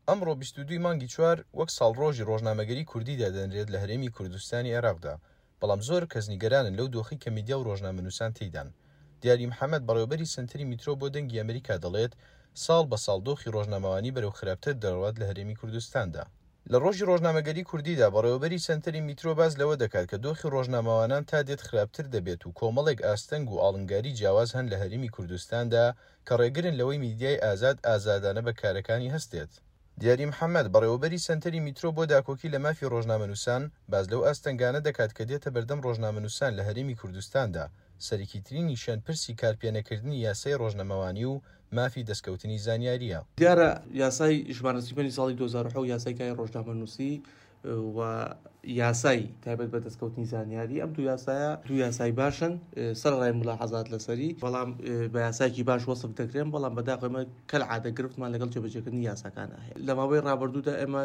ئەمڕۆ 22 ی مانگی چوار وەک ساڵڕۆژی ڕۆژنامەگەری کوردی دادەنرێت لە هەرێمی کوردستانی عێراقدا، بەڵام زۆر کەس نیگەرانن لەو دۆخەی کە میدیا و ڕۆژنامەنووسان تێیدان. دیاری محەمەد، بەڕێوەبەری سەنتەری میترۆ بۆ دەنگی ئەمریکا دەڵێت، ساڵ بە ساڵ دۆخی ڕۆژنامەوانی بەرەو خراپتر دەڕوات لە هەرێمی کوردستاندا. لە ڕۆژی ڕۆژنامەگەری کوردیدا، بەڕێوەبەری سەنتەری میترۆ باس لەوە دەکات کە دۆخی ڕۆژنامەوانان تا دێت خراپتر دەبێت و کۆمەڵێک ئاستەنگ و ئاڵنگاری جیاواز هەن لە هەرێمی کوردستاندا کە ڕێگرن لەوەی میدیای ئازاد ئازادانە بە کارەکانی هەستێت. دیاری محەمەد، بەڕێوەبەری سەنتەری میترۆ بۆ داکۆکی لە مافی ڕۆژنامەنووسان، باس لەو ئاستەنگانە دەکات کە دێتە بەردەم ڕۆژنامەنووسان لە هەرێمی کوردستاندا، سەرەکیترینیشیان پرسی کارپێنەکردنی یاسای ڕۆژنەمەوانی و مافی دەستکەوتنی زانیارییە. دیارە یاسای ژمارە 35 ساڵی 2007 یاسای کاری ڕۆژنامەنووسی و یاسای تایبەت بە دەستکەوتنی زانیاری ئەم دوو یاسایە دوو یاسای باشن سەرەڕای ملاحەزات لەسەری بەڵام بە یاسایەکی باش وەسف دەکرێن بەڵام بەداخەوە ئێمە کەلعادە گرفتمان لەگەڵ جێبەجێکردنی یاساکانە هەیە لە ماوەی ڕابردوودا ئێمە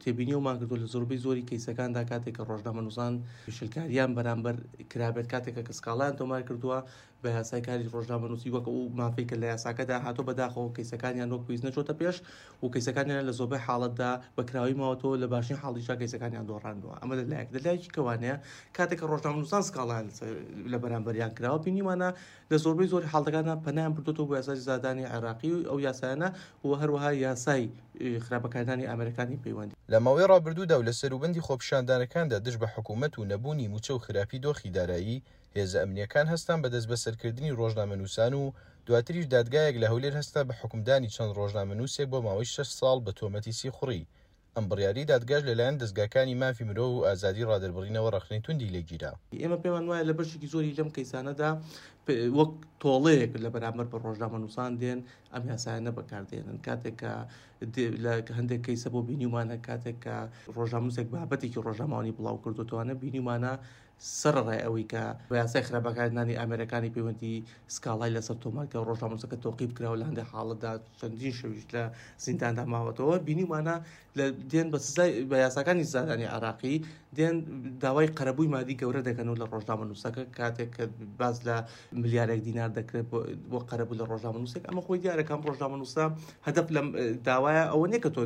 تێبینیەوەمان کردو لە زۆربەی زۆری کەیسەکاندا کاتێک کە ڕۆژنامەنووسان پێشێلکاریان بەرامبەر کرابێت کاتێک کە سکاڵایان تۆمار کردووە بە یاسای کاری ڕۆژنامەنووسی وەک ئەو مافەی کە لە یاساکەدا هاتووە بەداخەوە کەیسەکانیان وەک پێویست نەچۆتە پێش و کەیسەکانیان لە زۆربەی حاڵەتدا بە کراوی ماوەتەوە لە باشترین حاڵیشدا کەیسەکانیان دۆڕاندووە ئەمە لە لایەک لە لایەکی کەوانەیە کاتێک کە ڕۆژنامەنووسان سکاڵایان لە بەرامبەریان کراوە بینیمانە لە زۆربەی زۆری حاڵەتەکاندا پەنایان بردۆتەوە بۆ یاسای سزادانی عێراقی و ئەو یاسایانە و هەروەها یاسای خراپ بەکارهێنانی ئامێرەکانی پەیوەندی. لە ماوەی ڕابردوودا و لە سەروبەندی خۆپیشاندانەکاندا دژ بە حکوومەت و نەبوونی مووچە و خراپی دۆخی دارایی، هێزە ئەمنییەکان هەستان بە دەستبەسەرکردنی ڕۆژنامەنووسان و دواتریش دادگایەک لە هەولێر هەستا بە حوکمدانی چەند ڕۆژنامەنووسێک بۆ ماوەی شەش ساڵ بە تۆمەتی سیخوڕی. ئەم بڕیارەی دادگاش لەلایەن دەزگاکانی مافی مرۆڤ و ئازادی ڕادەربڕینەوە ڕەخنەی توندی لێگیرا. ئێمە پێمان وایە لە بەشێکی زۆری لەم کەیسانەدا وەک تۆڵەیەک لە بەرامبەر بە ڕۆژنامەنووسان دێن ئەم یاسایانە بەکاردێنن کاتێک کە لە هەندێک کەیسە بۆ بینیومانە کاتێک کە ڕۆژنامەنووسێک بابەتێکی ڕۆژنامەوانی بڵاو کردوتوانە بینیومانە سەرەڕای ئەوەی کە بە یاسای خراپ بەکارهێنانی ئامێرەکانی پەیوەندی سکاڵای لەسەر تۆمار کرا و ڕۆژنامەنووسەکە تۆقیب کرا و لە هەندێک حاڵەتدا چەندین شەویش لە زینداندا ماوەتەوە بینیومانە لە دێن بە سزای بە یاساکانی سزادانی عێراقی دێن داوای قەرەبووی مادی گەورە دەکەن و لە ڕۆژنامەنووسەکە کاتێک کە باس لە ملیارێک دینار دەکرێت بۆ قەرەبوو لە ڕۆژنامەنووسێک ئەمە خۆی دیارە کام ڕۆژنامەنووسە هەدەف لەم داوایە ئەوە نییە کە تۆ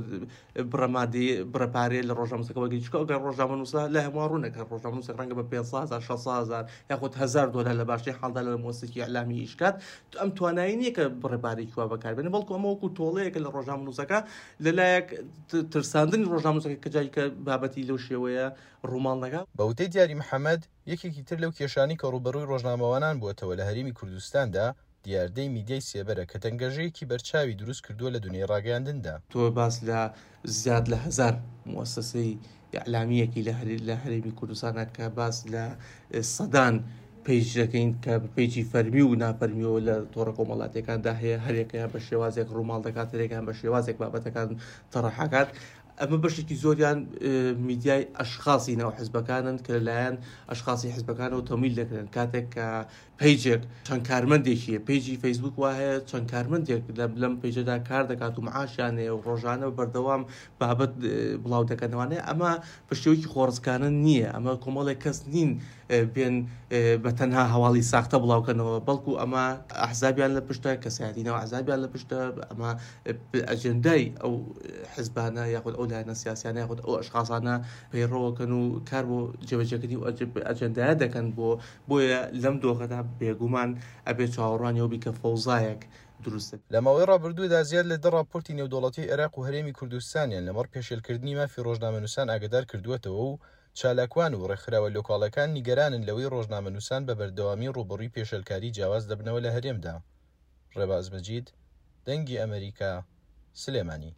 بڕە مادی بڕە پارەیە لە ڕۆژنامەنووسەکە وەرگری چونکە ئەگەر ڕۆژنامەنووسە لای هەمووان ڕوونە کە ڕۆژنامەنووسێک ڕەنگە بە 500 هەزار 600 هەزار یاخود 1000 دۆلار لە باشترین حاڵدا لە مؤسسەیەکی ئیعلامی ئیش کات ئەم توانایی نییە کە بڕە پارەیەکی وا بەکاربێنێ بەڵکو ئەمە وەکو تۆڵەیەکە لە ڕۆژنامەنووسەکە لەلایەک ترساندنی ڕۆژنامەنووسەکە کە جاری کە بابەتی لەو شێوەیە ڕووماڵ نەکا. بە وتەی دیاری محەمەد، یەکێکی تر لەو کێشانەی کە ڕووبەڕووی ڕۆژنامەوانان بووەتەوە لە هەرێمی کوردستاندا، دیاردەی میدیای سێبەرە کە تەنگەژەیەکی بەرچاوی دروست کردووە لە دونیای ڕاگەیاندندا. تۆ باس لە زیاد لە هەزار موئەسەسەی ئیعلامییەکی لە هەرێمی کوردستانە کە باس لە سەدان پەیج دەکەین کە پەیجی فەرمی و نافەرمیەوە لە تۆڕە کۆمەڵاتیەکاندا هەیە هەرێکەیان بە شێوازێک ڕووماڵ دەکات هەرێکیان بە شێوازێک بابەتەکان تەڕحەکات ئەمە بەشێکی زۆریان میدیای ئەشخاصی ناو حزبەکانن کە لەلایەن ئەشخاصی حزبەکانەوە تەمیل دەکرێن کاتێک کە پەیجێک چەند کارمەندێکی هەیە پەیجی فەیسبوک وا هەیە چەند کارمەندێک لەم پەیجەدا کار دەکات و معاشیان هەیە و ڕۆژانە بەردەوام بابەت بڵاو دەکەنەوانەیە ئەمە بە شێوەیەکی خۆڕسکانە نییە ئەمە کۆمەڵێک کەس نین بێن بە تەنها هەواڵی ساختە بڵاوکەنەوە بەڵکو ئەمە ئەحزابیان لە پشتە کەسایەتی ناو ئەحزابیان لە پشتە ئەمە ئەجێندای ئەو حزبانە یاخود ئەو لایەنە سیاسیانە یاخود ئەو ئەشخاصانە پەیڕەوەکەن و کار بۆ جێبەجێکردنی ئەجێندایە دەکەن بۆ بۆیە لەم دۆخەدا بێگومان ئەبێ چاوەڕوانی ئەوە بی کە فەوزایەک دروست دەبێت. لە ماوەی ڕابردوودا زیاد لە دە ڕاپۆرتی نێودەوڵەتیی عێراق و هەرێمی کوردستانیان لەمەڕ پێشێلکردنی مافی ڕۆژنامەنووسان ئاگادار کردووەتەوە و چالاکوان و ڕێکخراوە لۆکاڵەکان نیگەرانن لەوەی ڕۆژنامەنووسان بە بەردەوامی ڕووبەڕووی پێشێلکاری جیاواز دەبنەوە لە هەرێمدا. ڕێباز مەجید، دەنگی ئەمەریکا، سلێمانی.